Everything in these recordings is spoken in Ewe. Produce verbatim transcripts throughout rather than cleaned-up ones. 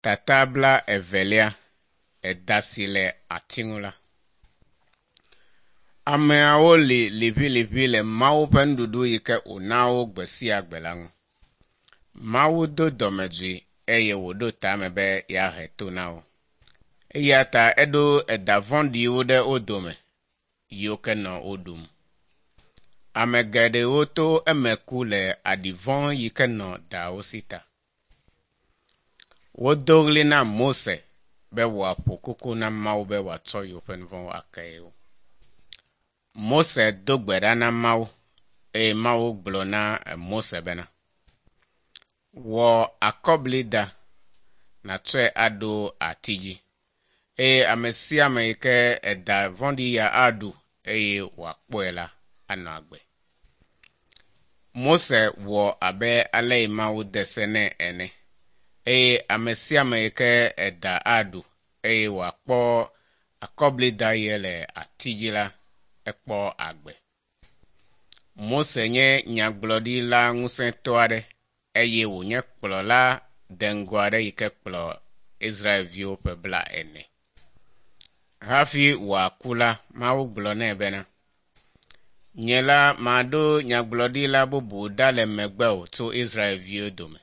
Tata bla evelia, eda si le ati ŋu la. Ameawo li liʋiliʋi le Mawu ƒe nuɖuɖu yi ke wòna wo gbe sia gbe la ŋu. Mawu do dɔmedzoe eye wòɖo tame be yeahe to na wo. Eya ta eɖo eda vɔ̃ɖiwo ɖe wo dome yiwo ke nɔ wo ɖum. Ame geɖewo to eme ku le aɖi vɔ̃ yi ke nɔ dawo si ta. Wodo ɣli na Mose be wòaƒo koko na Mawu be wòatsɔ yewoƒe nu vɔ̃wo ake yewo. Mose do gbe ɖa na Mawu eye Mawu gblɔ na Mose bena, wɔ akɔblida nàtsɔe aɖo ati dzi eye ame sia ame yi ke eda vɔ̃ɖi ya aɖu eye wòakpɔe la anɔ agbe. Mose wɔ abe ale yi Mawu de se nɛ ene eye ame sia ame yi ke eda aɖu eye wòakpɔ akɔblida ye le ati dzi la, ekpɔ agbe. Mose nye nyagblɔɖila ŋusẽtɔ aɖe eye wònye kplɔla deŋgɔ aɖe yi ke kplɔ Israelviwo ƒe bla ene. Hafi wòaku la, Mawu gblɔ nɛ bena, nye la maɖo nyagblɔɖila bubu ɖa le megbewò tso Israelviwo dome.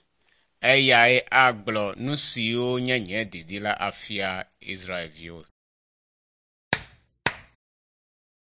Eyae agblɔ nu siwo nye nye didi la afia Israelviwo.